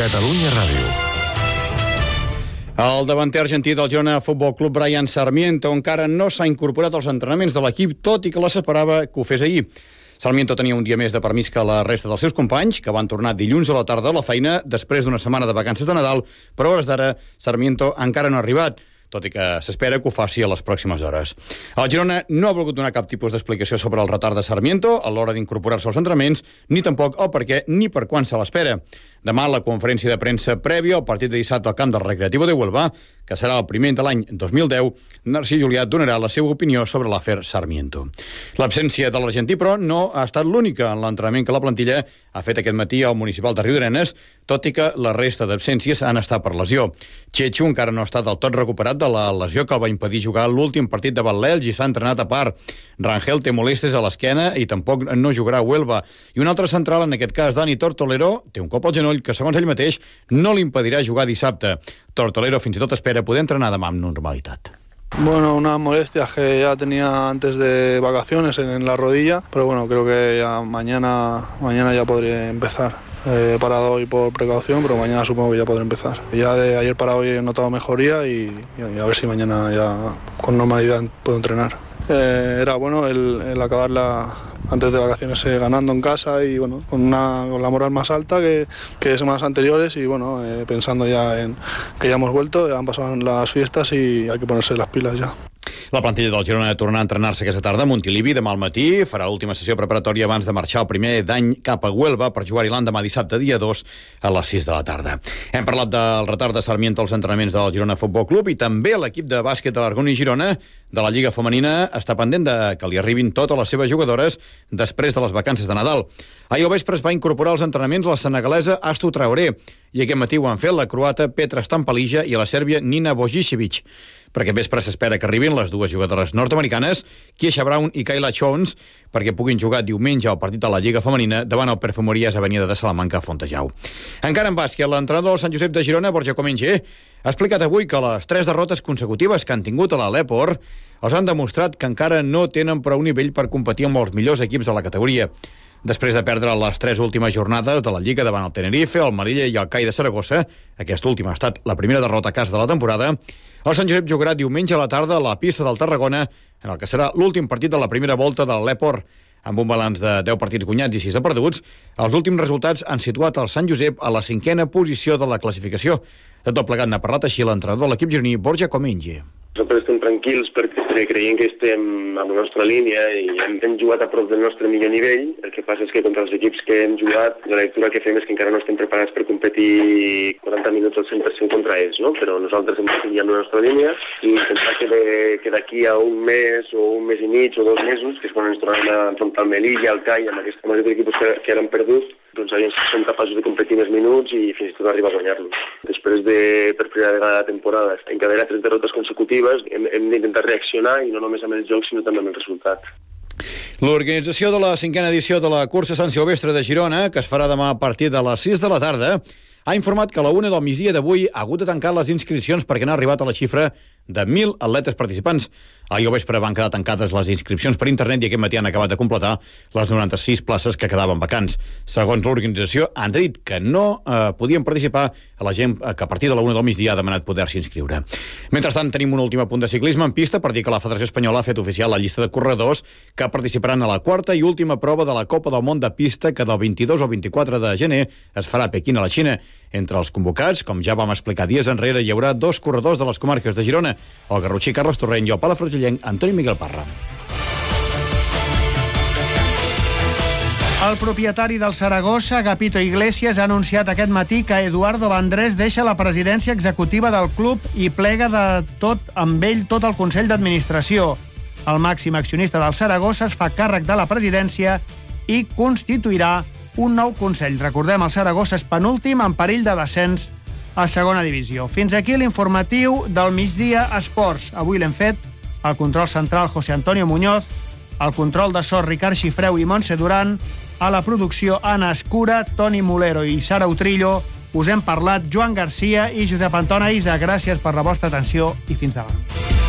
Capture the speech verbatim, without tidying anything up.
Catalunya Ràdio. El davanter argentí del Girona Futbol Club, Brian Sarmiento, encara no s'ha incorporat als entrenaments de l'equip, tot i que s'esperava que ho fes ahir. Sarmiento tenia un dia més de permís que la resta dels seus companys, que van tornar dilluns a la tarda a la feina després d'una setmana de vacances de Nadal, però a hores d'ara Sarmiento encara no ha arribat, tot i que s'espera que ho faci a les pròximes hores. El Girona no ha volgut donar cap tipus d'explicació sobre el retard de Sarmiento a l'hora d'incorporar-se als entrenaments, ni tampoc el per què ni per quan se l'espera. Demà, a la conferència de premsa prèvia al partit de dissabte al camp del Recreativo de Huelva, que serà el primer de l'any dos mil deu, Narcís Julià donarà la seva opinió sobre l'afer Sarmiento. L'absència de l'argentí, però, no ha estat l'única en l'entrenament que la plantilla ha fet aquest matí al municipal de Riudarenes, tot i que la resta d'absències han estat per lesió. Chechu encara no ha estat del tot recuperat de la lesió que el va impedir jugar l'últim partit de l'Elx i s'ha entrenat a part. Rangel té molèsties a l'esquena i tampoc no jugarà a Huelva. I un altre central, en aquest cas Dani Tortolero, té un cop al genoll que, segons ell mateix, no li impedirà jugar dissabte. Tortolero fins i tot espera poder entrenar demà amb normalitat. Bueno, unas molestias que ya tenía antes de vacaciones en, en la rodilla, pero bueno, creo que ya mañana, mañana ya podré empezar. He parado hoy por precaución, pero mañana supongo que ya podré empezar. Ya de ayer para hoy he notado mejoría y, y a ver si mañana ya con normalidad puedo entrenar. Eh, era bueno el, el acabar la, antes de vacaciones eh, ganando en casa y bueno, con, una, con la moral más alta que, que semanas anteriores y bueno, eh, pensando ya en que ya hemos vuelto, ya han pasado las fiestas y hay que ponerse las pilas ya. La plantilla del Girona tornarà a entrenar-se aquesta tarda a Montilivi demà al matí, farà l'última sessió preparatòria abans de marxar el primer d'any cap a Huelva per jugar-hi l'endemà dissabte dia dos a les sis de la tarda. Hem parlat del retard de Sarmiento als entrenaments del Girona Futbol Club i també l'equip de bàsquet de l'Argoni Girona de la Lliga Femenina està pendent de que li arribin totes les seves jugadores després de les vacances de Nadal. Ahir al vespre es va incorporar als entrenaments la senegalesa Astu Traoré i aquest matí ho han fet la croata Petra Stampalija i la sèrbia Nina Božičević. Per aquest vespre s'espera que arribin les dues jugadores nord-americanes, Kiesha Brown i Kayla Jones, perquè puguin jugar diumenge al partit de la Lliga Femenina davant el Perfumeries Avenida de Salamanca a Fontejau. Encara en bàsquet, l'entrenador del Sant Josep de Girona, Borja Comenge, ha explicat avui que les tres derrotes consecutives que han tingut a l'Aleport els han demostrat que encara no tenen prou nivell per competir amb els millors equips de la categoria. Després de perdre les tres últimes jornades de la Lliga davant el Tenerife, el Melilla i el C A I de Saragossa, aquesta última ha estat la primera derrota a casa de la temporada, el Sant Josep jugarà diumenge a la tarda a la pista del Tarragona, en el que serà l'últim partit de la primera volta de l'Aleport. Amb un balanç de deu partits guanyats i sis de perduts, els últims resultats han situat el Sant Josep a la cinquena posició de la classificació. De tot plegat n'ha parlat així l'entrenador de l'equip gironí, Borja Comenge. Nosaltres estem tranquils perquè creiem que estem a la nostra línia i hem, hem jugat a prop del nostre millor nivell. El que passa és que contra els equips que hem jugat, la lectura que fem és que encara no estem preparats per competir quaranta minuts al cent per cent contra ells, no? Però nosaltres hem de seguir amb la nostra línia i pensar que, de, que d'aquí a un mes o un mes i mig o dos mesos, que és quan ens tornem a enfrontar al Melilla, al C A I, amb aquests, amb aquests equips que, que eren perduts, doncs aviam si som capaços de competir més minuts i fins i tot arribar a guanyar-los. Després de, per primera vegada de temporada, encadenar tres derrotes consecutives, hem, hem d'intentar reaccionar i no només amb el joc, sinó també amb el resultat. L'organització de la cinquena edició de la cursa Sant Silvestre de Girona, que es farà demà a partir de les sis de la tarda, ha informat que a la una del migdia d'avui ha hagut de tancar les inscripcions perquè n'ha arribat a la xifra de mil atletes participants. Ahir al vespre van quedar tancades les inscripcions per internet i aquest matí han acabat de completar les noranta-sis places que quedaven vacants. Segons l'organització, han dit que no eh, podien participar a la gent que a partir de la una del migdia ha demanat poder-s'hi inscriure. Mentrestant, tenim un últim apunt de ciclisme en pista per dir que la Federació Espanyola ha fet oficial la llista de corredors que participaran a la quarta i última prova de la Copa del Món de Pista que del vint-i-dos al vint-i-quatre de gener es farà a Pequín, a la Xina. Entre els convocats, com ja vam explicar dies enrere, hi haurà dos corredors de les comarques de Girona, el garrotxí Carles Torrent i el palafrugellenc Antoni Miguel Parra. El propietari del Saragossa, Agapito Iglesias, ha anunciat aquest matí que Eduardo Vandrés deixa la presidència executiva del club i plega de tot amb ell tot el Consell d'Administració. El màxim accionista del Saragossa es fa càrrec de la presidència i constituirà un nou Consell. Recordem, el Saragossa és penúltim en perill de descens a segona divisió. Fins aquí l'informatiu del migdia Esports. Avui l'hem fet el control central José Antonio Muñoz, el control de so Ricard Xifreu i Montse Duran, a la producció Anna Escura, Toni Molero i Sara Utrillo. Us hem parlat Joan Garcia i Josep Anton Aïsa. Gràcies per la vostra atenció i fins demà.